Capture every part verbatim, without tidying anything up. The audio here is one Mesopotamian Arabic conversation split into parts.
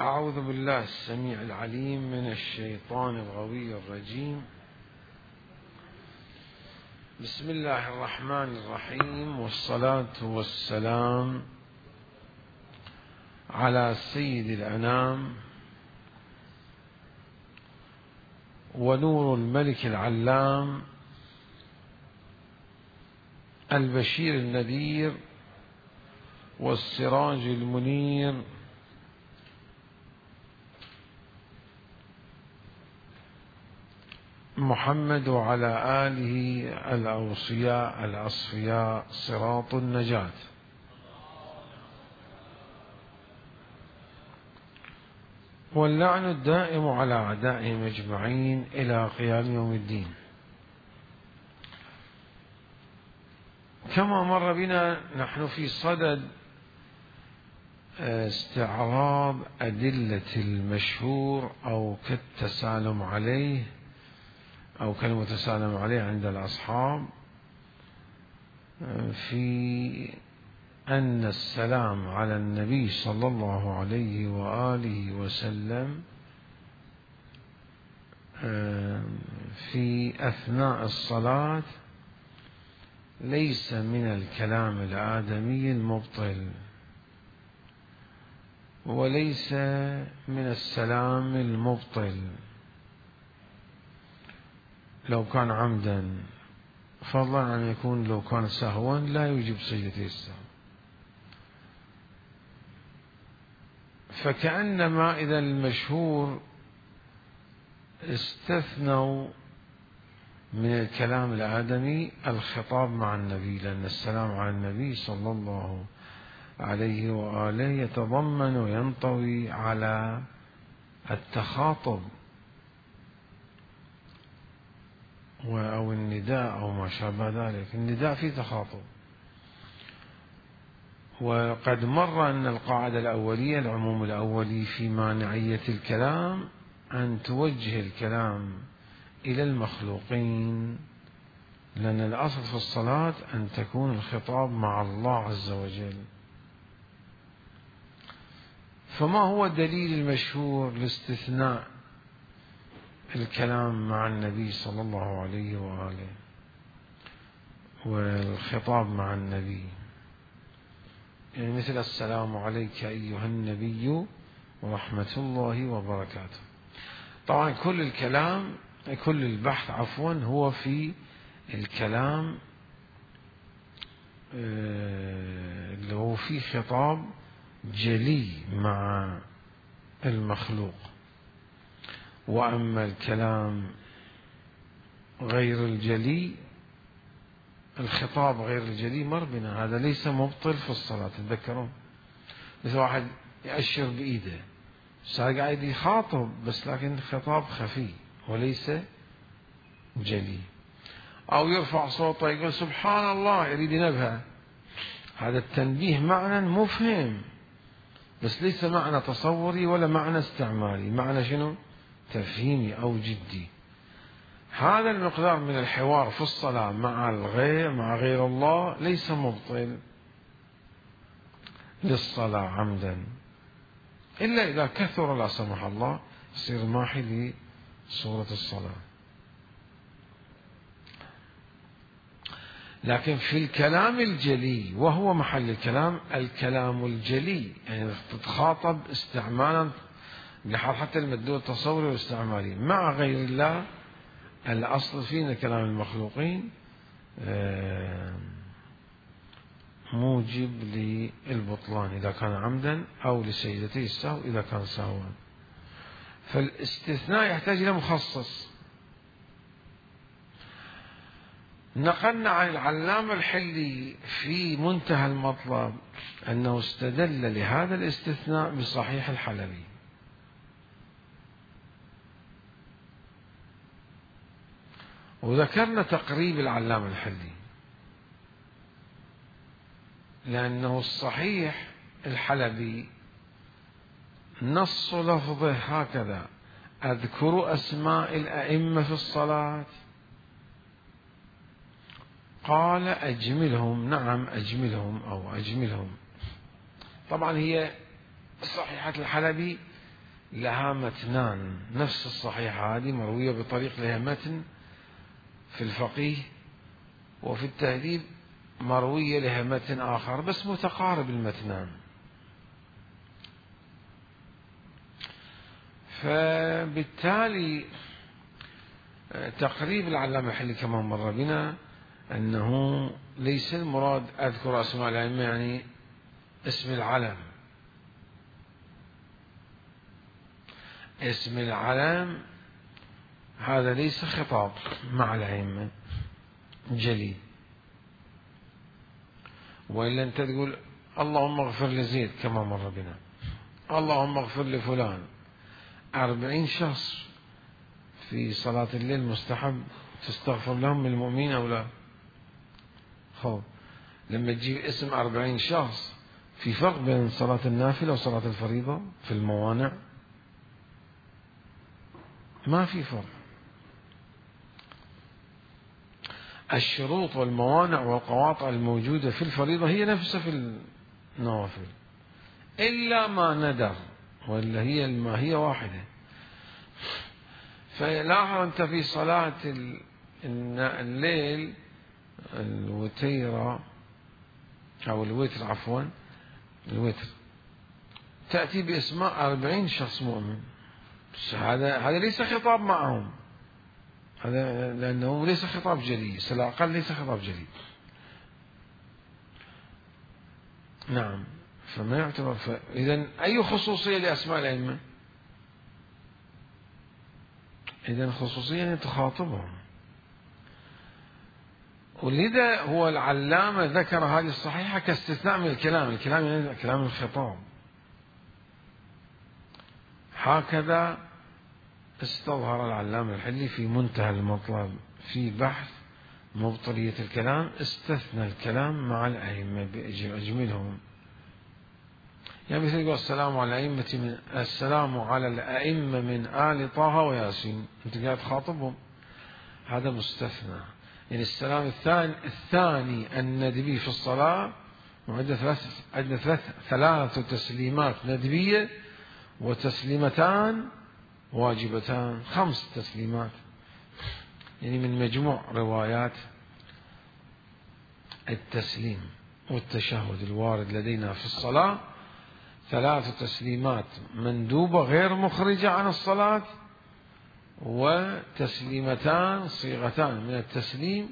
أعوذ بالله السميع العليم من الشيطان الغوي الرجيم. بسم الله الرحمن الرحيم، والصلاة والسلام على سيد الأنام ونور الملك العلام البشير النذير والسراج المنير محمد وعلى آله الأوصياء الأصفياء صراط النجاة. واللعن الدائم على أعدائهم أجمعين إلى قيام يوم الدين. كما مر بنا نحن في صدد استعراض أدلة المشهور أو كالتسالم عليه أو كالمتسالم عليه عند الأصحاب في أن السلام على النبي صلى الله عليه وآله وسلم في أثناء الصلاة ليس من الكلام الآدمي المبطل، وليس من السلام المبطل لو كان عمدا، فضلا عن يكون لو كان سهوا لا يوجب سجدة السهو. فكأنما إذا المشهور استثنوا من الكلام الآدمي الخطاب مع النبي، لأن السلام على النبي صلى الله عليه وآله يتضمن وينطوي على التخاطب أو النداء أو ما شابه ذلك. النداء فيه تخاطب، وقد مر أن القاعدة الأولية العموم الأولي في مانعية الكلام أن توجه الكلام إلى المخلوقين، لأن الأصل في الصلاة أن تكون الخطاب مع الله عز وجل. فما هو الدليل المشهور لاستثناء الكلام مع النبي صلى الله عليه وآله والخطاب مع النبي؟ يعني مثل السلام عليك أيها النبي ورحمة الله وبركاته. طبعا كل الكلام كل البحث عفوا هو في الكلام اللي هو فيه خطاب جلي مع المخلوق، وأما الكلام غير الجلي الخطاب غير الجلي مر بنا، هذا ليس مبطل في الصلاة. تذكرون مثل واحد يأشر بإيده، صار قاعد يخاطب بس لكن خطاب خفي وليس جلي، أو يرفع صوته يقول سبحان الله يريد ينبه، هذا التنبيه معنى مفهم بس ليس معنى تصوري ولا معنى استعمالي، معنى شنو؟ تفهيمي أو جدي. هذا المقدار من الحوار في الصلاة مع الغير مع غير الله ليس مبطل للصلاة عمدا، إلا إذا كثر لا سمح الله يصير ماحي لصورة الصلاة. لكن في الكلام الجلي وهو محل الكلام الكلام الجلي، يعني تتخاطب استعمالا لحال حتى المدلول التصوري والاستعمالي مع غير الله، الأصل فينا كلام المخلوقين موجب للبطلان إذا كان عمدا أو لسجدتي السهو إذا كان سهوا. فالاستثناء يحتاج إلى مخصص. نقلنا عن العلامة الحلي في منتهى المطلب أنه استدل لهذا الاستثناء بصحيح الحلبي، وذكرنا تقريب العلامة الحلي لأنه الصحيح الحلبي نص لفظه هكذا: أذكر أسماء الأئمة في الصلاة، قال أجملهم. نعم أجملهم أو أجملهم. طبعا هي صحيحة الحلبي لها متنان، نفس الصحيحة هذه مروية بطريق لها متن في الفقيه، وفي التهذيب مروية لها متن آخر بس متقارب المتنان. فبالتالي تقريب العلامة الحلي كما مر بنا أنه ليس المراد أذكر أسماء الأئمة يعني اسم العلم، اسم العلم هذا ليس خطاب مع الأئمة جلي، وإلا أنت تقول اللهم اغفر لزيد كما مر بنا، اللهم اغفر لفلان، أربعين شخص في صلاة الليل مستحب تستغفر لهم من المؤمنين أو لا؟ خب لما تجيب اسم أربعين شخص في فرق بين صلاة النافلة وصلاة الفريضة في الموانع؟ ما في فرق. الشروط والموانع والقواطع الموجودة في الفريضة هي نفسها في النوافل إلا ما ندر، ولا هي الماهية واحدة. فلاحظ أنت في صلاة الليل الوتيرة أو الوتر عفوا الوتر تأتي بأسماء أربعين شخص مؤمن، هذا هذا ليس خطاب معهم، هذا لأنه ليس خطاب جلي، على الأقل ليس خطاب جلي. نعم، فما يعتبر. إذن أي خصوصية لأسماء الأئمة؟ إذن خصوصية تخاطبهم، ولذا هو العلامة ذكر هذه الصحيحة كاستثناء من الكلام، الكلام يعني كلام الخطاب. هكذا استظهر العلامة الحلي في منتهى المطلب في بحث مبطلية الكلام، استثنى الكلام مع الأئمة بأجملهم. يعني مثل يقول السلام على الأئمة من السلام على الأئمة من آل طه وياسين، أنت قاعد تخاطبهم، هذا مستثنى. يعني السلام الثاني الثاني الندبي في الصلاة، وعندنا ثلاث عندنا ثلاث ثلاث تسليمات ندبية وتسليمتان واجبتان، خمس تسليمات، يعني من مجموع روايات التسليم والتشهد الوارد لدينا في الصلاة ثلاث تسليمات مندوبة غير مخرجة عن الصلاة، وتسليمتان صيغتان من التسليم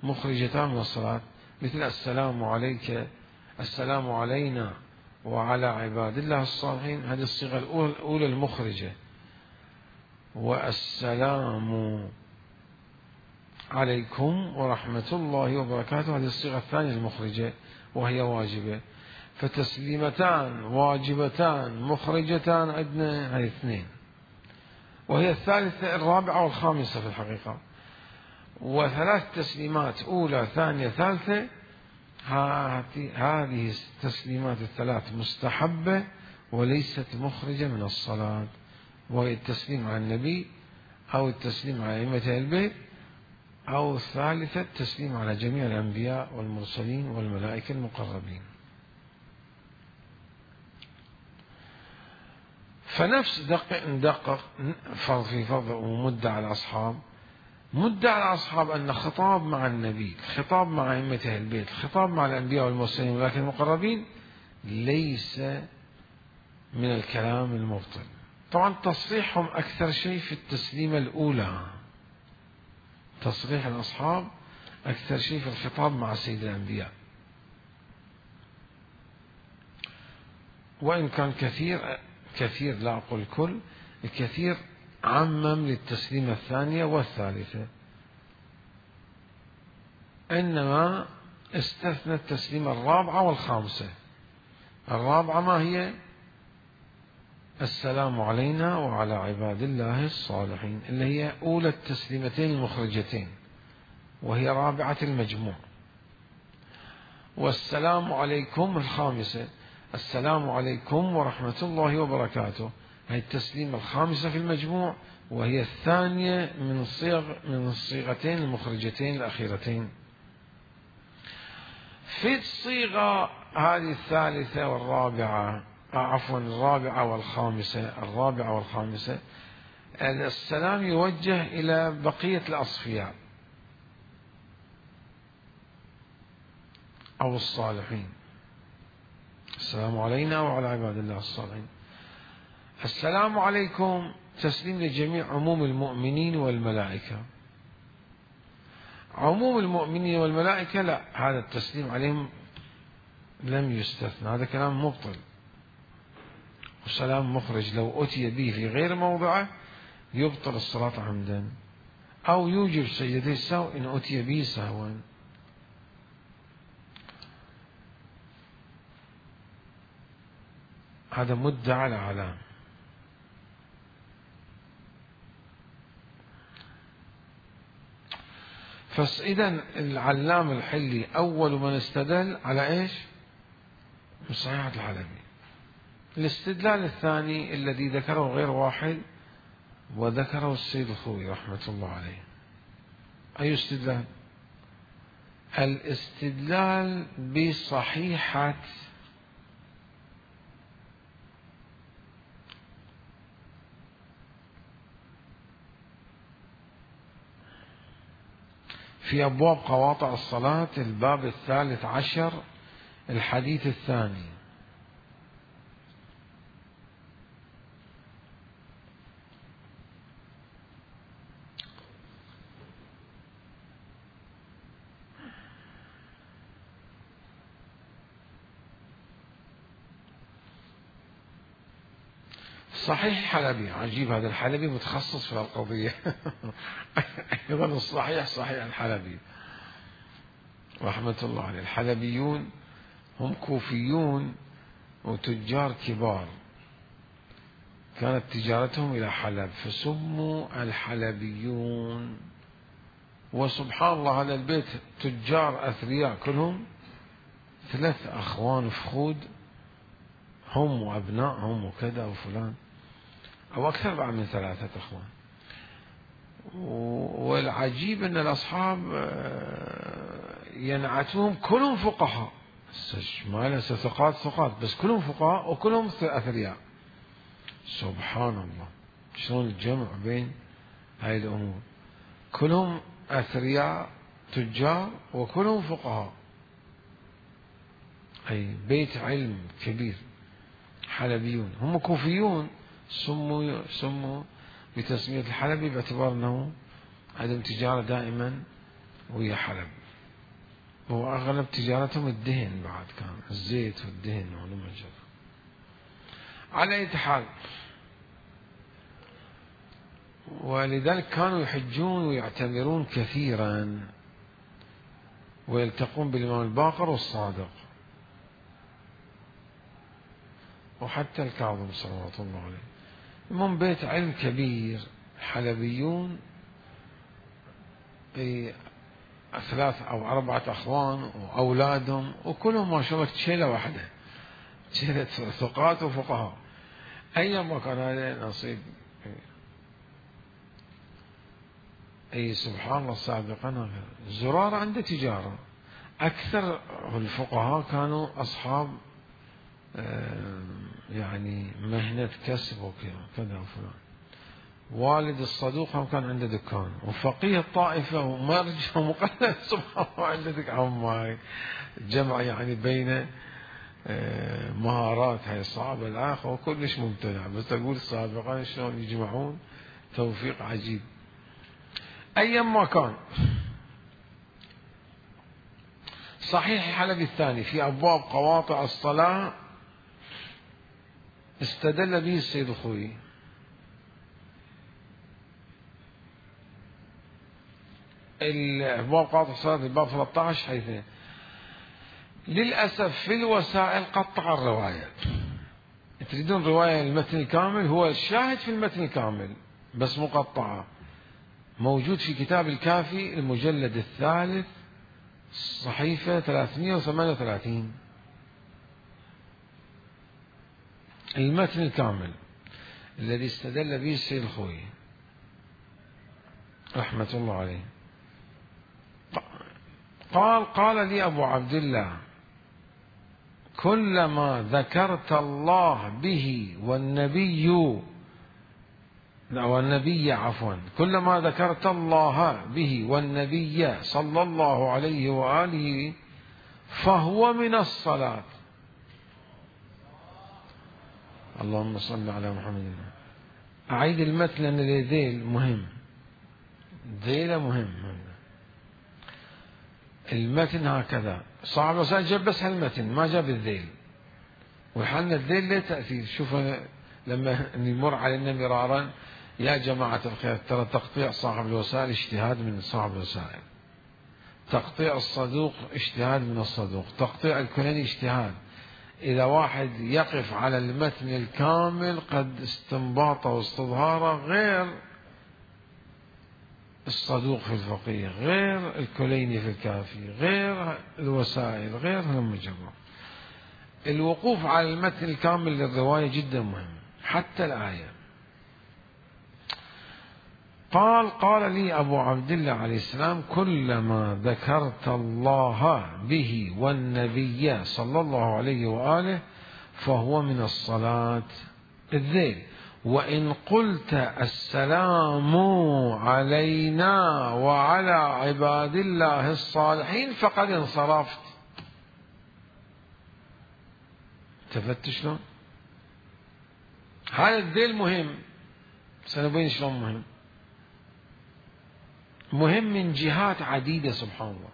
مخرجتان من الصلاة، مثل السلام عليك، السلام علينا وعلى عباد الله الصالحين، هذه الصيغة الأولى المخرجة، والسلام عليكم ورحمة الله وبركاته، هذه الصيغة الثانية المخرجة وهي واجبة. فتسليمتان واجبتان مخرجتان عندنا هذه اثنين، وهي الثالثة الرابعة والخامسة في الحقيقة، وثلاث تسليمات أولى ثانية ثالثة. هذه التسليمات الثلاث مستحبة وليست مخرجة من الصلاة، وهي التسليم على النبي أو التسليم على أئمة البيت، أو الثالثة التسليم على جميع الأنبياء والمرسلين والملائكة المقربين. فنفس دقق ندقق فرض في فرض ومدة على الأصحاب، مدة على الأصحاب أن خطاب مع النبي، خطاب مع أئمة البيت، خطاب مع الأنبياء والمرسلين والملائكة المقربين ليس من الكلام المبطل. طبعا تصريحهم أكثر شيء في التسليمة الأولى، تصريح الأصحاب أكثر شيء في الخطاب مع سيد الأنبياء، وإن كان كثير كثير لا أقول كل، الكثير عمم للتسليمة الثانية والثالثة، إنما استثنى التسليمة الرابعة والخامسة. الرابعة ما هي؟ السلام علينا وعلى عباد الله الصالحين، اللي هي أولى التسليمتين المخرجتين وهي رابعة المجموع. والسلام عليكم الخامسة، السلام عليكم ورحمة الله وبركاته، هي التسليمة الخامسة في المجموع، وهي الثانية من الصيغ من الصيغتين المخرجتين الأخيرتين. في الصيغة هذه الثالثة والرابعة عفوا الرابعة والخامسة الرابعة والخامسة السلام يوجه إلى بقية الأصفياء أو الصالحين. السلام علينا وعلى عباد الله الصالحين. السلام عليكم تسليم لجميع عموم المؤمنين والملائكة. عموم المؤمنين والملائكة لا، هذا التسليم عليهم لم يستثنى، هذا كلام مبطل وسلام مخرج، لو أتي به في غير موضعه يبطل الصلاة عمدا أو يوجب سجدتي السهو إن أتي به سهوا. هذا مدعى الأعلام. فإذا العلام الحلي أول من استدل على إيش؟ بصحيحة الحلبي. الاستدلال الثاني الذي ذكره غير واحد وذكره السيد الخوئي رحمة الله عليه. أي استدلال؟ الاستدلال بصحيحة في أبواب قواطع الصلاة الباب الثالث عشر الحديث الثاني. صحيح حلبي، عجيب هذا الحلبي متخصص في القضية. أيضا الصحيح صحيح الحلبي رحمة الله عليه. الحلبيون هم كوفيون وتجار كبار، كانت تجارتهم إلى حلب فسموا الحلبيون. وسبحان الله هذا البيت تجار أثرياء كلهم، ثلاث أخوان فخود هم وأبنائهم وكذا وفلان، أو أكثر بعد من ثلاثة أخوان. والعجيب أن الأصحاب ينعتهم كلهم فقهاء، ما ليس ثقات ثقات بس كلهم فقهاء وكلهم أثرياء. سبحان الله شلون الجمع بين هاي الأمور، كلهم أثرياء تجار وكلهم فقهاء، أي بيت علم كبير. حلبيون هم كوفيون، سموا سموا بتسمية الحلبي باعتبار أنه عندهم تجارة دائما وهي حلب، وأغلب تجارتهم الدهن، بعد كان الزيت والدهن والمنجر. على أي حال، ولذلك كانوا يحجون ويعتمرون كثيرا ويلتقون بالإمام الباقر والصادق وحتى الكاظم صلوات الله عليه. المهم بيت علم كبير. حلبيون ثلاث أو أربعة أخوان وأولادهم وكلهم ما شاء الله شيلة واحدة، شيلة ثقات وفقهاء. أيما كان هذا نصيب. أي سبحان الله. سابقا زرار عنده تجارة، أكثر الفقهاء كانوا أصحاب يعني مهنة كسب وكذا وفلان. والد الصدوق هم كان عنده دكان، وفقيه الطائفة ومرجع ومقلد سبحان الله عنده دكان. جمع يعني بين مهارات هاي صعبة الآخر وكلش ممتنع، بس أقول سابقا شلون يجمعون توفيق عجيب. أيما كان، صحيح الحلبي الثاني في أبواب قواطع الصلاة استدل به السيد الخوئي. الأبواب قواطع الصلاة الباب ثلاثة عشر حيث للأسف في الوسائل قطع الرواية. تريدون رواية المتن الكامل، هو الشاهد في المتن الكامل بس مقطعة، موجود في كتاب الكافي المجلد الثالث صحيفة ثلاثمئة وثمانية وثلاثين، المتن الكامل الذي استدل به السيد الخوئي رحمة الله عليه. قال قال لي أبو عبد الله كلما ذكرت الله به والنبي لا والنبي عفوا كلما ذكرت الله به والنبي صلى الله عليه وآله فهو من الصلاة. اللهم صل على محمد. أعيد المتن لأن الذيل مهم، ذيل مهم. المتن هكذا صاحب الوسائل جاب بس هالمتن ما جاب الذيل، وحنا الذيل له تأثير. شوف لما نمر علينا مرارا يا جماعة الخير ترى تقطيع صاحب الوسائل اجتهاد من صاحب الوسائل، تقطيع الصدوق اجتهاد من الصدوق، تقطيع الكليني اجتهاد. إذا واحد يقف على المتن الكامل قد استنباطه واستظهاره غير الصدوق في الفقيه، غير الكليني في الكافي، غير الوسائل، غير المجرد. الوقوف على المتن الكامل للرواية جدا مهم. حتى الآية قال قال لي أبو عبد الله عليه السلام كلما ذكرت الله به والنبي صلى الله عليه وآله فهو من الصلاة. الذيل وإن قلت السلام علينا وعلى عباد الله الصالحين فقد انصرفت. التفت شلون؟ هذا الذيل مهم، سنبين شلون مهم. مهم من جهات عديدة سبحان الله،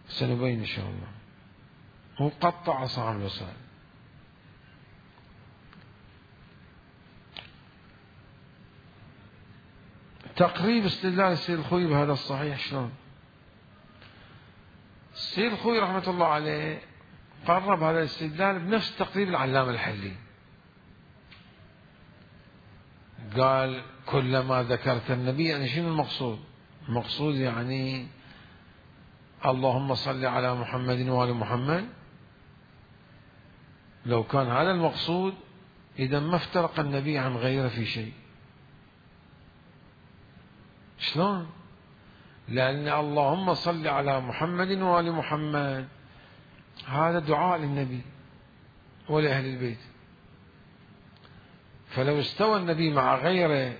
سنبين إن شاء الله. هو قطع صاحب الوسائل. تقريب استدلال السيد الخوي بهذا الصحيح شلون؟ السيد الخوي رحمة الله عليه قرب هذا الاستدلال بنفس تقريب العلامة الحلي. قال كلما ذكرت النبي، يعني شنو المقصود؟ المقصود يعني اللهم صل على محمد وآل محمد. لو كان هذا المقصود إذا ما افترق النبي عن غيره في شيء. شلون؟ لأن اللهم صل على محمد وآل محمد هذا دعاء للنبي ولأهل البيت، فلو استوى النبي مع غيره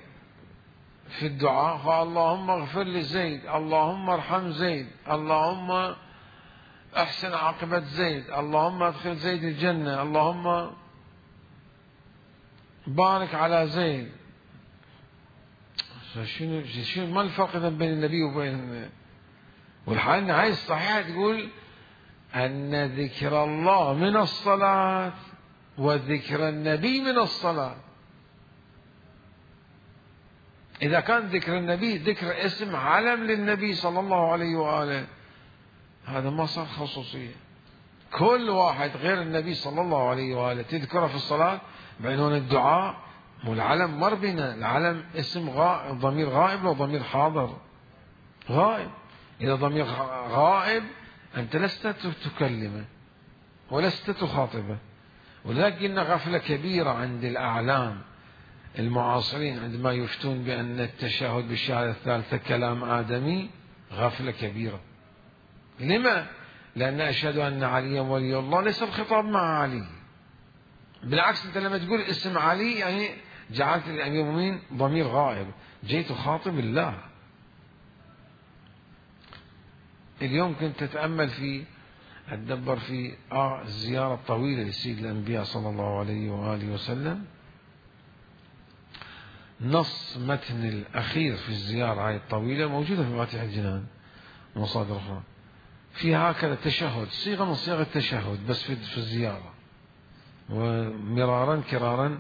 في الدعاء فاللهم اغفر لزيد، اللهم ارحم زيد، اللهم احسن عاقبة زيد، اللهم ادخل زيد الجنة، اللهم بارك على زيد. شنو شنو ما الفرق بين النبي وبين؟ والحال هاي الصحيحة تقول أن ذكر الله من الصلاة وذكر النبي من الصلاة. إذا كان ذكر النبي ذكر اسم علم للنبي صلى الله عليه وآله هذا ما صار خصوصية. كل واحد غير النبي صلى الله عليه وآله تذكره في الصلاة بعنوان الدعاء، والعلم مر بنا. العلم اسم غائب، ضمير غائب لو ضمير حاضر؟ غائب. إذا ضمير غائب أنت لست تكلمه ولست تخاطبه. ولكن غفلة كبيرة عند الأعلام المعاصرين عندما يفتون بأن التشهد بالشهادة الثالثة كلام آدمي، غفلة كبيرة. لما؟ لأن أشهد أن عليا ولي الله ليس الخطاب مع علي، بالعكس أنت لما تقول اسم علي يعني جعلت الأمير المؤمنين ضمير غائب، جيت خاطب الله. اليوم كنت تتأمل في أتدبر في آه الزيارة الطويلة لسيد الأنبياء صلى الله عليه وآله وسلم. نص متن الأخير في الزيارة هاي الطويلة موجودة في مفاتيح الجنان ومصادر أخرى، في هكذا تشهد، صيغة من صيغ التشهد بس في الزيارة. ومرارا كرارا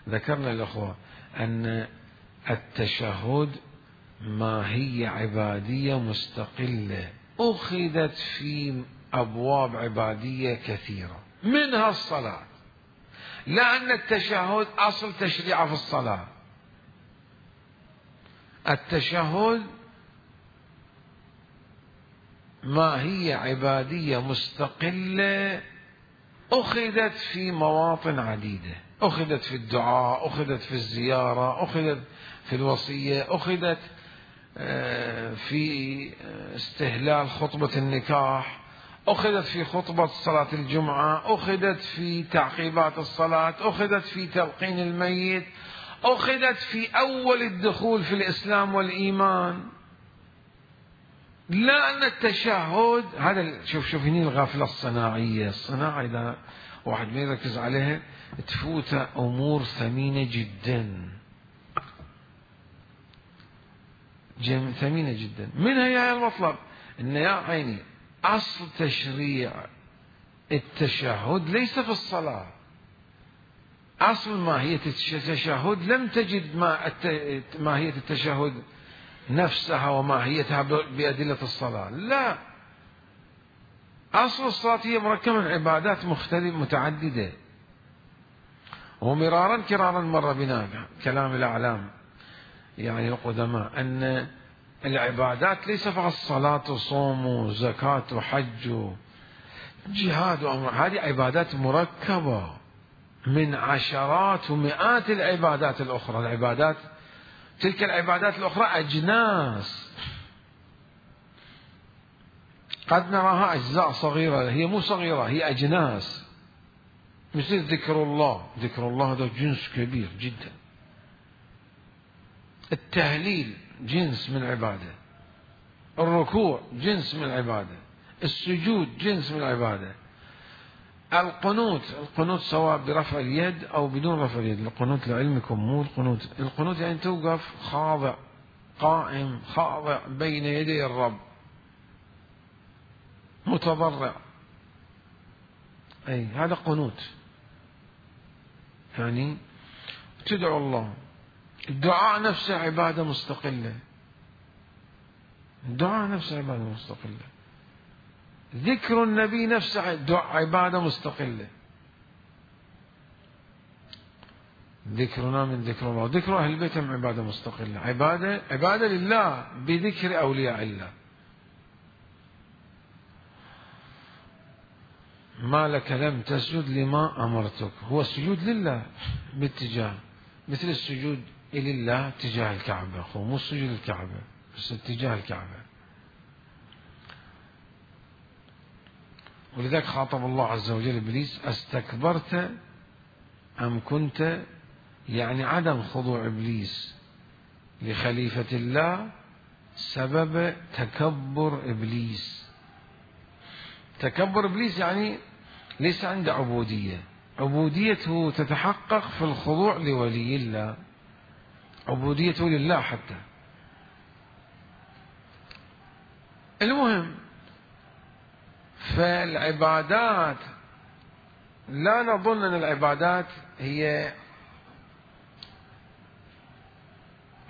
ذكرنا الأخوة أن التشهد ماهية عبادية مستقلة أخذت في أبواب عبادية كثيرة منها الصلاة، لأن التشهد أصل تشريع في الصلاة. التشهد ماهية عبادية مستقلة أخذت في مواطن عديدة، أخذت في الدعاء، أخذت في الزيارة، أخذت في الوصية، أخذت في استهلال خطبة النكاح، أخذت في خطبة صلاة الجمعة، أخذت في تعقيبات الصلاة، أخذت في تلقين الميت، أخذت في أول الدخول في الإسلام والإيمان. لا أن التشهد هذا، شوف شوف هني الغافلة الصناعية. الصناعة إذا واحد ما يركز عليها تفوت أمور ثمينة جدا، جم ثمينة جدا. منها يا المطلب إن يا عيني أصل تشريع التشهد ليس في الصلاة. أصل ماهية التشهد لم تجد ماهية التشهد نفسها وماهيتها بأدلة الصلاة، لا. أصل الصلاة هي مركبة من عبادات مختلفة متعددة، ومرارا كرارا مر بنا كلام الأعلام يعني القدماء أن العبادات ليس فقط صلاة وصوم وزكاة وحج وجهاد وأمر، هذه عبادات مركبة من عشرات ومئات العبادات الأخرى. العبادات تلك العبادات الأخرى أجناس قد نراها أجزاء صغيرة، هي مو صغيرة، هي أجناس. مثل ذكر الله، ذكر الله هذا جنس كبير جدا. التهليل جنس من العبادة، الركوع جنس من العبادة، السجود جنس من العبادة، القنوت، القنوت سواء برفع اليد أو بدون رفع اليد. القنوت لعلمكم مو القنوت، القنوت يعني توقف خاضع قائم خاضع بين يدي الرب متضرع، أي هذا قنوت، يعني تدعو الله. الدعاء نفسه عبادة مستقلة، الدعاء نفسه عبادة مستقلة. ذكر النبي نفسه عبادة مستقلة. ذكرنا من ذكر الله، ذكر أهل البيت عبادة مستقلة، عبادة عبادة لله بذكر أولياء الله. ما لك لم تسجد لما أمرتك، هو السجود لله باتجاه، مثل السجود لله تجاه الكعبة، هو مو السجود الكعبة بس اتجاه الكعبة. ولذلك خاطب الله عز وجل إبليس: أستكبرت أم كنت، يعني عدم خضوع إبليس لخليفة الله سبب تكبر إبليس. تكبر إبليس يعني ليس عنده عبودية، عبوديته تتحقق في الخضوع لولي الله، عبوديته لله حتى. المهم، فالعبادات لا نظن أن العبادات هي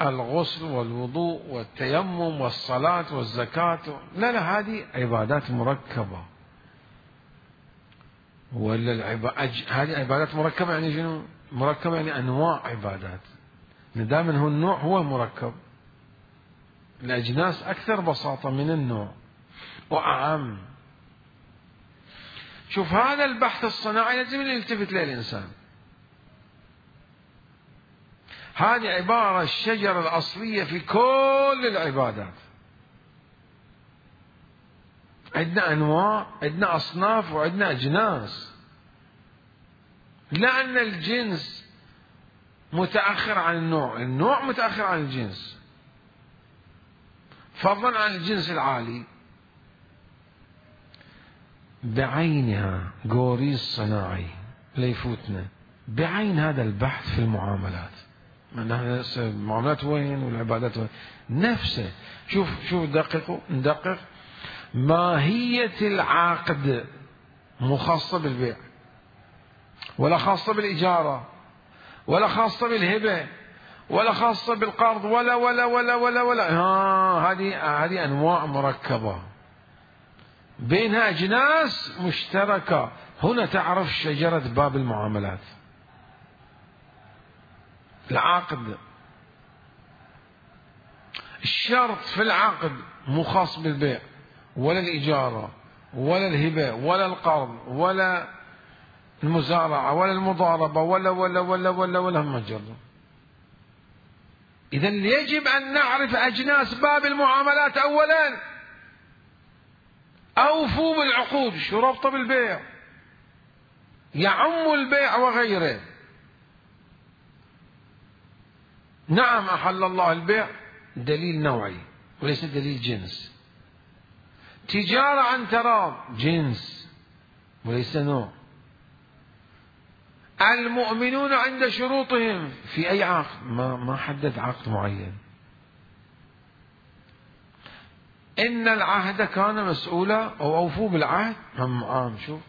الغسل والوضوء والتيمم والصلاة والزكاة، لا لا، هذه عبادات مركبة. ولا العب... أج... هذه عبادات مركبة يعني شنو؟ مركبة يعني أنواع عبادات، دائما هو النوع هو مركب، الأجناس أكثر بساطة من النوع وأعم. شوف هذا البحث الصناعي لازم يلتفت له الإنسان. هذه عبارة الشجرة الأصلية في كل العبادات. عندنا أنواع، عندنا أصناف، وعندنا أجناس. لأن الجنس متأخر عن النوع، النوع متأخر عن الجنس، فضلا عن الجنس العالي. بعينها قوريس صناعي ليفوتنا بعين هذا البحث في المعاملات. المعاملات وين والعبادات وين؟ نفسه. شوف شوف دققوا ندقق. ماهية العقد مو خاصة بالبيع، ولا خاصة بالإجارة، ولا خاصة بالهبة، ولا خاصة بالقرض، ولا ولا ولا ولا ولا ها هذه هذه أنواع مركبة بينها أجناس مشتركة. هنا تعرف شجرة باب المعاملات. العقد، الشرط في العقد مو خاص بالبيع ولا الإجارة ولا الهبة ولا القرض ولا المزارعة ولا المضاربة ولا ولا ولا ولا ولا هم جرب. إذن يجب أن نعرف أجناس باب المعاملات أولا. أوفوا بالعقود. شو ربطه بالبيع؟ يعم البيع وغيره. نعم أحل الله البيع دليل نوعي وليس دليل جنس. تجارة عن تراض جنس وليس نوع. المؤمنون عند شروطهم في أي عقد؟ ما ما حدد عقد معين. إن العهد كان مسؤولا أو أوفوا بالعهد هم عام. شوف،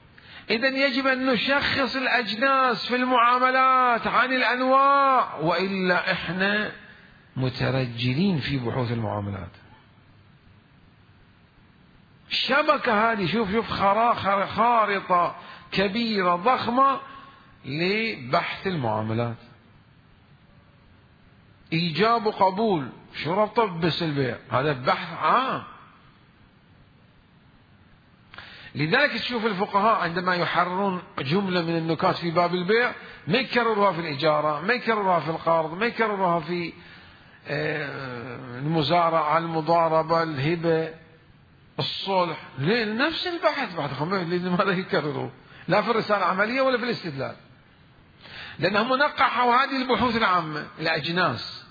إذن يجب أن نشخص الأجناس في المعاملات عن الأنواع، وإلا إحنا مترجلين في بحوث المعاملات. الشبكة هذه شوف شوف خارطة كبيرة ضخمة لبحث المعاملات. إيجاب وقبول شو ربطه بس البيع؟ هذا بحث عام. لذلك تشوف الفقهاء عندما يحررون جملة من النكات في باب البيع ما يكرروها في الإجارة، ما يكرروها في القرض، ما يكرروها في المزارعة، المضاربة، الهبة، الصلح. ليه؟ نفس البحث بعد خمسة. لماذا يكرروا؟ لا في الرسالة العملية ولا في الاستدلال، لأنهم نقحوا هذه البحوث العامة الأجناس.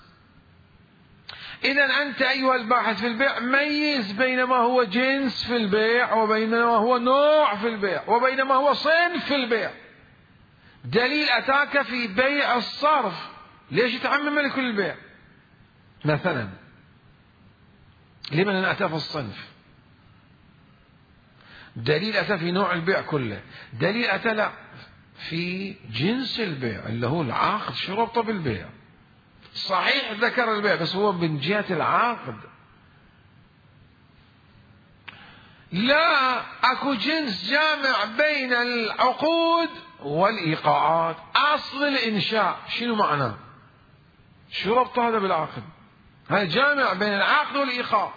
إذا أنت أيها الباحث في البيع ميز بين ما هو جنس في البيع وبين ما هو نوع في البيع وبين ما هو صنف في البيع. دليل أتاك في بيع الصرف، ليش تعمم لكل البيع مثلا؟ لمن أتى في الصنف؟ دليل أتى في نوع البيع كله. دليل أتى لا في جنس البيع اللي هو العقد. شو ربطه بالبيع؟ صحيح ذكر البيع بس هو من جهة العقد. لا، اكو جنس جامع بين العقود والإيقاعات. أصل الإنشاء شنو معناه؟ شو ربط هذا بالعقد؟ هذا جامع بين العقد والإيقاع.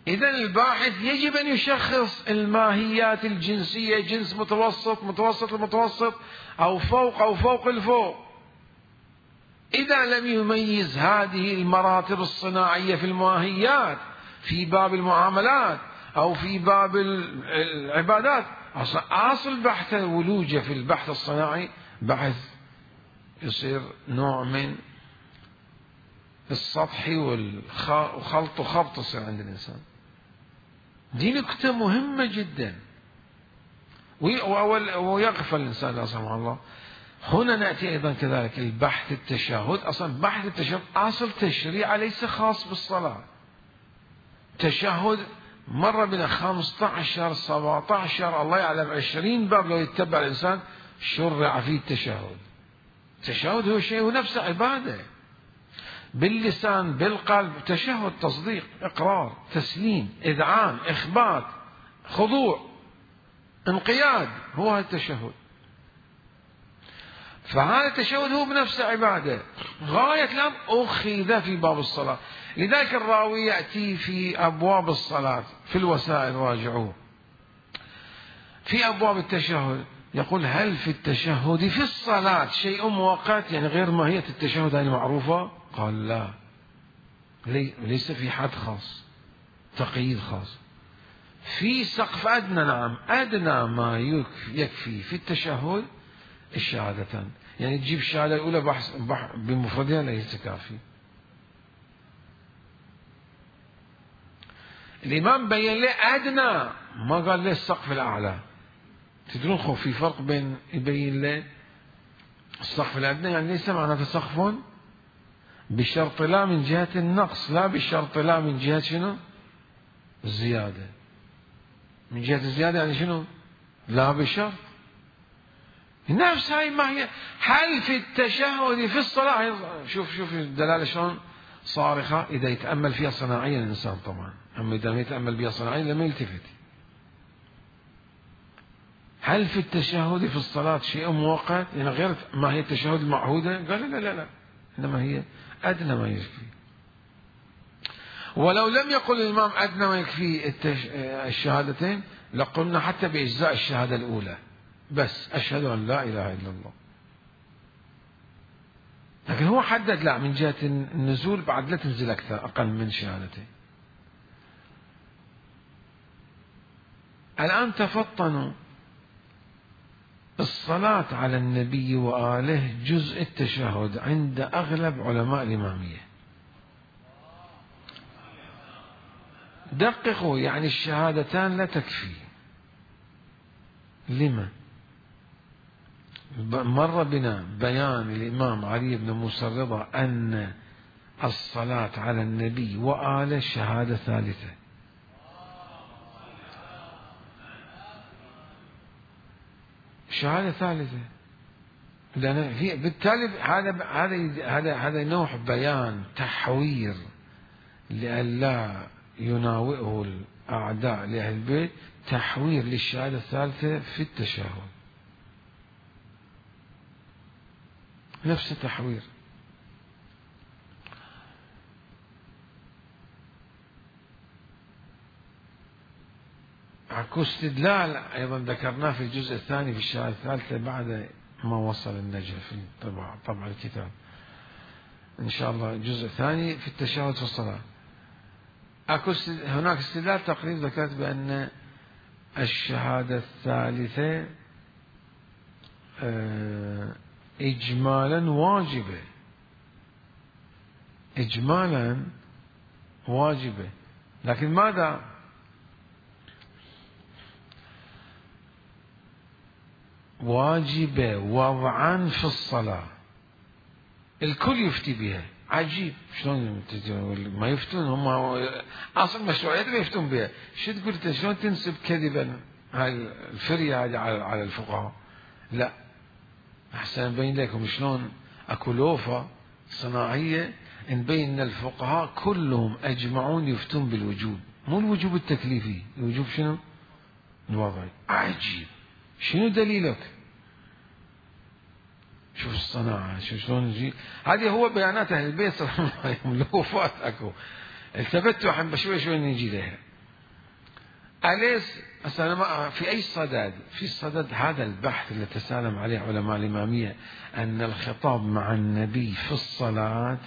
إذا الباحث يجب أن يشخص الماهيات الجنسية، جنس متوسط، متوسط المتوسط، أو فوق أو فوق الفوق. إذا لم يميز هذه المراتب الصناعية في الماهيات في باب المعاملات أو في باب العبادات، أصل بحث ولوجة في البحث الصناعي بحث يصير نوع من السطحي والخلط وخبط يصير عند الإنسان. دي نكتة مهمة جدا ويغفل الإنسان لا سمح الله. هنا نأتي أيضا كذلك البحث التشهد. أصلا بحث التشهد أصل تشريع ليس خاص بالصلاة. تشهد مرة بنا خمسة عشر سبعة عشر الله يعلم عشرين باب لو يتبع الإنسان شرع فيه التشهد. التشهد هو شيء ونفسه عبادة باللسان بالقلب. تشهد تصديق، إقرار، تسليم، إذعان، إخبات، خضوع، انقياد، هو هذا التشهد. فهذا التشهد هو بنفسه عبادة غاية الأمر أخذ في باب الصلاة. لذلك الراوي يأتي في أبواب الصلاة في الوسائل راجعوه في أبواب التشهد يقول: هل في التشهد في الصلاة شيء مؤقت يعني غير ماهية التشهد هذه المعروفة؟ قال لا، ليس في حد خاص، تقييد خاص. في سقف أدنى، نعم، أدنى ما يكفي في التشهد الشهادتان. يعني تجيب الشهادة الأولى بحث بمفردها ليس كافي. الإمام بين له أدنى، ما قال له السقف الأعلى. تدرون خو في فرق بين يبين له السقف الأدنى، يعني ليس معناته سقف بشرط لا من جهة النقص، لا بشرط لا من جهة شنو؟ الزيادة. من جهة الزيادة يعني شنو؟ لا بشرط. نفس هاي ما هي. هل في التشهد في الصلاة؟ شوف شوف الدلالة شلون صارخة إذا يتأمل فيها صناعيا الإنسان طبعا، أما إذا ما يتأمل بها صناعيا لما يلتفت. هل في التشهد في الصلاة شيء مؤقت يعني غير ما هي التشهد المعهودة؟ قال لا لا لا، إنما هي أدنى ما يكفي. ولو لم يقل الإمام أدنى ما يكفي التش... الشهادتين لقلنا حتى بإجزاء الشهادة الأولى بس أشهد أن لا إله إلا الله. لكن هو حدد لا، من جهة النزول بعد لا تنزل أكثر أقل من شهادتين. الآن تفطنوا. الصلاة على النبي وآله جزء التشهد عند أغلب علماء الإمامية. دققوا، يعني الشهادتان لا تكفي. لما؟ مر بنا بيان الإمام علي بن موسى الرضا أن الصلاة على النبي وآله شهادة ثالثة. شهادة ثالثة، لأن في بالتالي هذا هذا هذا هذا نوع بيان تحوير لئلا يناوئه الأعداء لأهل البيت، تحوير للشهادة الثالثة في التشهد، نفس التحوير. اكو استدلال ايضا ذكرناه في الجزء الثاني في الشهادة الثالثة بعد ما وصل النجف في طبع طبع الكتاب ان شاء الله. الجزء الثاني في التشهد في الصلاة اكو هناك استدلال تقريب ذكرت بان الشهادة الثالثة اجمالا واجبة، اجمالا واجبة، لكن ماذا واجبة وضعا في الصلاة، الكل يفتي بها. عجيب شلون ما يفتون هم اصلا مشروعيات ما يفتون بها. شو تقول انت شلون تنسب كذبا هاي الفرية هذه على الفقهاء؟ لا، احسن نبين لكم شلون اكو لوفة صناعية نبين ان الفقهاء كلهم اجمعون يفتون بالوجوب، مو الوجوب التكليفي، الوجوب شنو؟ الوضعي. عجيب، شنو دليلك؟ شوف الصناعة، شوف شلون يجي. هذه هو بيانات أهل البيت صلى الله عليه وسلم، لوفات أكو. التفتوا عم بشوي شوي نجي لها. أليس أصلا في أي صدد؟ في صدد هذا البحث اللي تسالم عليه علماء الإمامية أن الخطاب مع النبي في الصلاة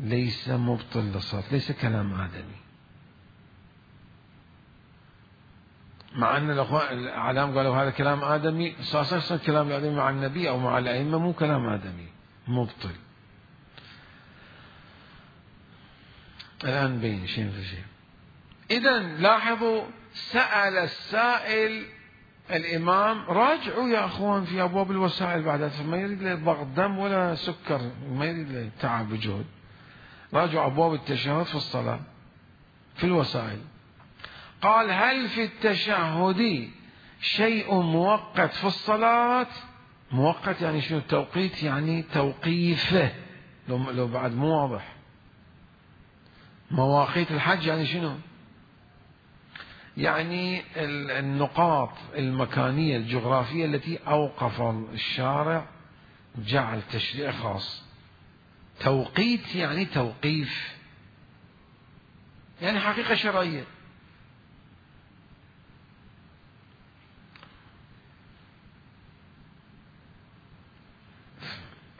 ليس مبطل للصلاة، ليس كلام آدمي. مع أن الأعلام قالوا هذا كلام آدمي، صار كلام آدمي مع النبي أو مع الأئمة مو كلام آدمي مبطل. الآن بين شيء في شيء. إذا لاحظوا، سأل السائل الإمام راجعوا يا أخوان في أبواب الوسائل بعد، فما يريد له ضغط دم ولا سكر، ما يريد له تعب وجهد. راجعوا أبواب التشهد في الصلاة في الوسائل. قال: هل في التشهد شيء مؤقت في الصلاة؟ مؤقت يعني شنو؟ توقيت يعني توقيفه، لو, لو بعد مو واضح. مواقيت الحج يعني شنو؟ يعني النقاط المكانية الجغرافية التي أوقف الشارع جعل تشريع خاص. توقيت يعني توقيف، يعني حقيقة شرعية.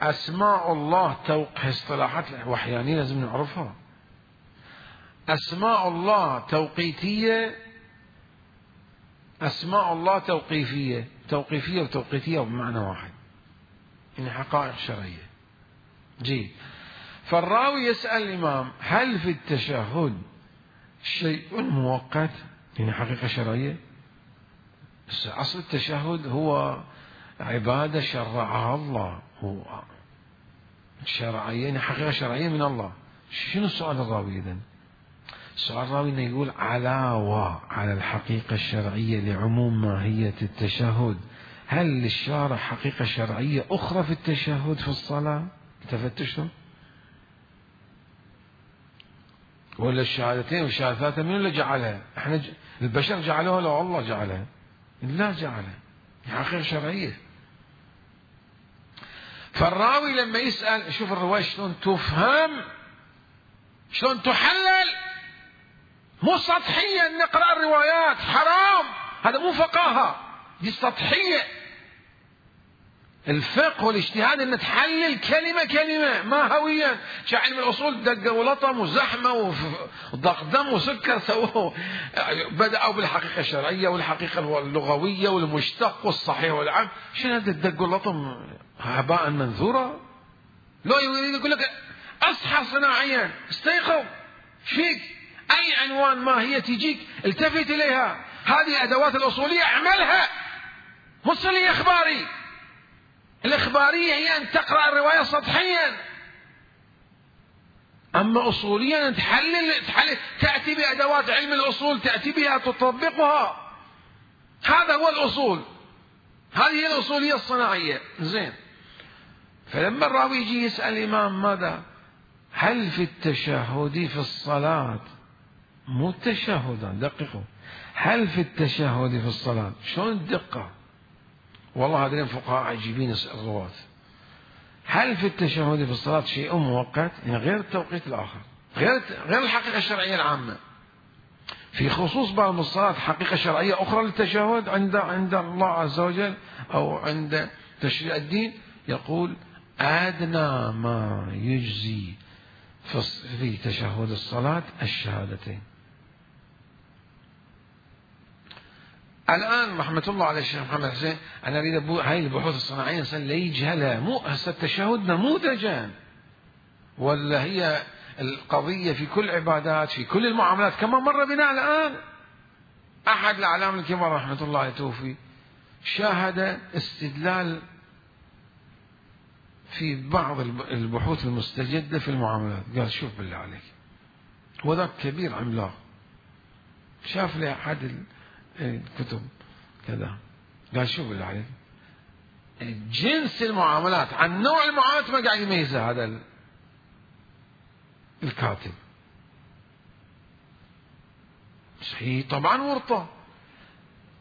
أسماء الله توقيف اصطلاحات وحيانية لازم نعرفها. أسماء الله توقيتية، أسماء الله توقيفية. توقيفية وتوقيتية بمعنى واحد، يعني حقائق شرعية. جيد. فالراوي يسأل الإمام: هل في التشهد شيء مؤقت يعني حقيقة شرعية؟ أصل التشهد هو عبادة شرعها الله، هو شرعية يعني حقيقة شرعية من الله. شنو السؤال الراوي إذن؟ السؤال الراوي إنه يقول علاوة على الحقيقة الشرعية لعموم ماهية التشهد، هل للشارع حقيقة شرعية أخرى في التشهد في الصلاة؟ تفتشتم؟ ولا الشهادتين والشهادتين من اللي جعلها؟ احنا ج... البشر جعلوها لو الله جعلها؟ لا جعلها، حقيقة شرعية. فالراوي لما يسأل، شوف الرواية شلون تفهم، شلون تحلل، مو سطحيا نقرأ الروايات، حرام، هذا مو فقاهة، دي سطحية. الفقه والاجتهاد ان تحلل كلمة كلمة ما هويا. علم الاصول دقة ولطم وزحمة وضغط دم وسكر سووه، بدأوا بالحقيقة الشرعية والحقيقة اللغوية والمشتق والصحيح والعام. شنو هذا الدق واللطم؟ هباء منثورا. لو يريد يقول لك اصحى صناعيا، استيقظ، فيك اي عنوان ما هي تجيك التفت اليها. هذه الادوات الاصولية اعملها، مش لي اخباري. الإخبارية هي أن تقرأ الرواية سطحيا، أما أصوليا أن تحلل, تحلل تأتي بأدوات علم الأصول، تأتي بها تطبقها. هذا هو الأصول، هذه هي الأصولية الصناعية. زين. فلما الراوي يجي يسأل الإمام ماذا؟ هل في التشهد في الصلاة، مو التشهد، دققوا، هل في التشهد في الصلاة؟ شلون الدقة؟ والله هذين الفقهاء عجيبين الرواة. هل في التشهد في الصلاة شيء مؤقت؟ يعني غير التوقيت الآخر، غير غير الحقيقة الشرعية العامة. في خصوص بعض الصلاة حقيقة شرعية أخرى للتشهد عند عند الله عز وجل أو عند تشريع الدين. يقول أدنى ما يجزي في تشهد الصلاة الشهادتين. الآن رحمة الله على الشيخ محمد حسين، أنا أريد هاي البحوث الصناعية الإنسان لا يجهلها. مو هسه التشهد نموذجا، ولا هي القضية في كل العبادات في كل المعاملات كما مر بنا الآن. أحد الأعلام الكبار رحمة الله عليه توفي شاهد استدلال في بعض البحوث المستجدة في المعاملات. قال شوف بالله عليك، وذاك كبير عملاق، شاف لي أحد الكتب كذا، قال شوف بالله عليك، جنس المعاملات عن نوع المعاملات ما قاعد يميزها هذا الكاتب. صحيح طبعا ورطة.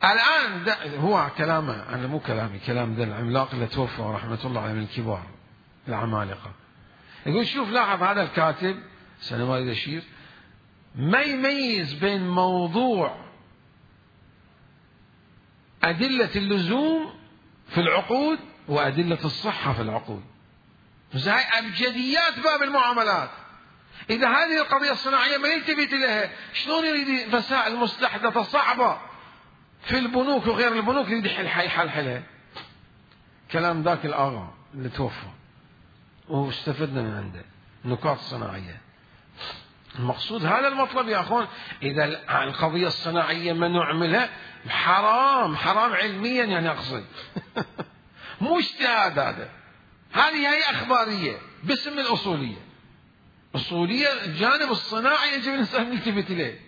الآن هو كلامه، أنا مو كلامي، كلام ذا العملاق اللي توفى رحمة الله عليه من الكبار العمالقة. يقول شوف لاحظ هذا الكاتب سنوات الشير ما يميز بين موضوع أدلة اللزوم في العقود وأدلة الصحة في العقود. هاي أبجديات باب المعاملات. إذا هذه القضية الصناعية ما يلتفت لها، شلون يريد مسائل مستحدثة صعبة في البنوك وغير البنوك يريد يحلحلها؟ كلام ذاك الآغا اللي توفى واستفدنا من عنده نقاط صناعية. المقصود هذا المطلب يا أخوان. إذا القضية الصناعية ما نعملها حرام، حرام علميا يعني أقصد مو اجتهاد. هذا هذه هي أخبارية باسم الأصولية. أصولية الجانب الصناعي يجب الإنسان يلتفت إليه.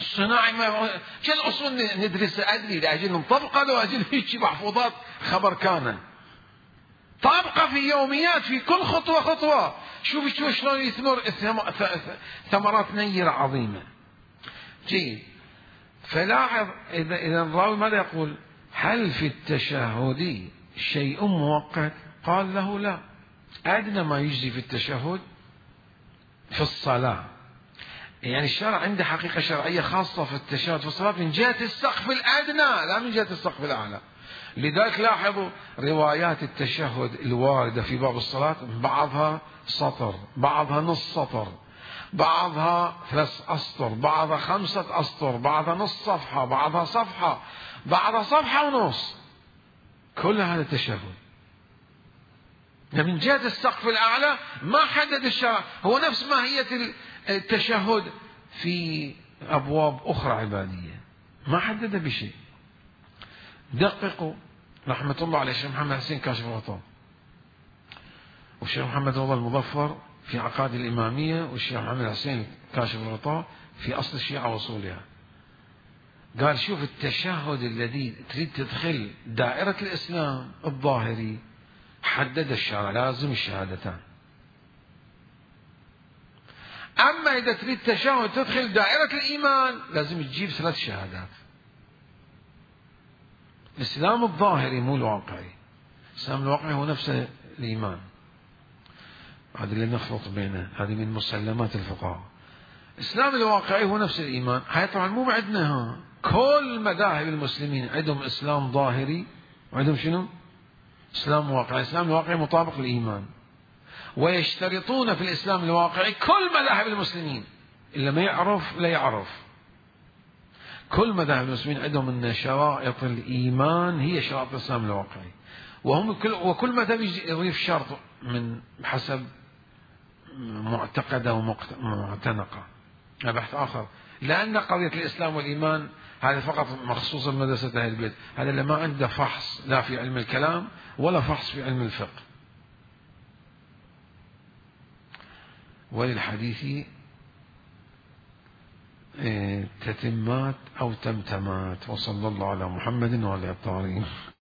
الصناعي ما كل الأصول ندرسها أدري لأجل نطبقها، لو أجل هيك محفوظات خبر كان طابقة في يوميات في كل خطوة خطوة. شوف شوف شلون يثمر ثمرات نيرة عظيمة. جيد. فلاحظ إذا إذا الراوي ماذا يقول؟ هل في التشهد شيء مؤقت؟ قال له لا، أدنى ما يجزي في التشهد في الصلاة. يعني الشرع عنده حقيقة شرعية خاصة في التشهد في الصلاة من جهة السقف الأدنى لا من جهة السقف الأعلى. لذلك لاحظوا روايات التشهد الواردة في باب الصلاة بعضها سطر، بعضها نص سطر، بعضها ثلاث أسطر، بعضها خمسة أسطر، بعضها نص صفحة، بعضها صفحة، بعضها صفحة ونص. كل هذا تشهد من جهة السقف الأعلى ما حدد الشرع. هو نفس ماهية التشهد في أبواب أخرى عبادية ما حدد بشيء. دققوا رحمة الله على الشيخ محمد حسين كاشف الغطاء، والشيخ محمد رضا المظفر في عقائد الإمامية، والشيخ محمد حسين كاشف الغطاء في أصل الشيعة وأصولها. قال شوف التشهد الذي تريد تدخل دائرة الإسلام الظاهري حدد الشرع لازم الشهادتان. أما إذا تريد تشهد تدخل دائرة الإيمان لازم تجيب ثلاث شهادات. الإسلام الظاهري مو الواقعي. الإسلام الواقعي هو نفس الإيمان، هذا اللي نخلط بينه، هذه من مسلمات الفقهاء. الإسلام الواقعي هو نفس الإيمان. هاي طبعا مو بعدنا، ها كل مذاهب المسلمين عندهم إسلام ظاهري وعندهم شنو؟ إسلام واقعي، الإسلام الواقعي مطابق للإيمان. ويشترطون في الإسلام الواقعي كل مذاهب المسلمين، إلا ما يعرف لا يعرف. كل مذاهب المسلمين عندهم أن شرائط الإيمان هي شرائط الإسلام الواقعي، وهم كل وكل مذهب يضيف شرط من حسب معتقده ومعتنقه. هذا بحث آخر، لأن قضية الإسلام والإيمان هذا فقط مخصوص بمدرسة أهل البيت، هذا اللي ما عنده فحص لا في علم الكلام ولا فحص في علم الفقه. وللحديث تتمات أو تمتمات. وصلى الله على محمد وعلى آله الطاهرين.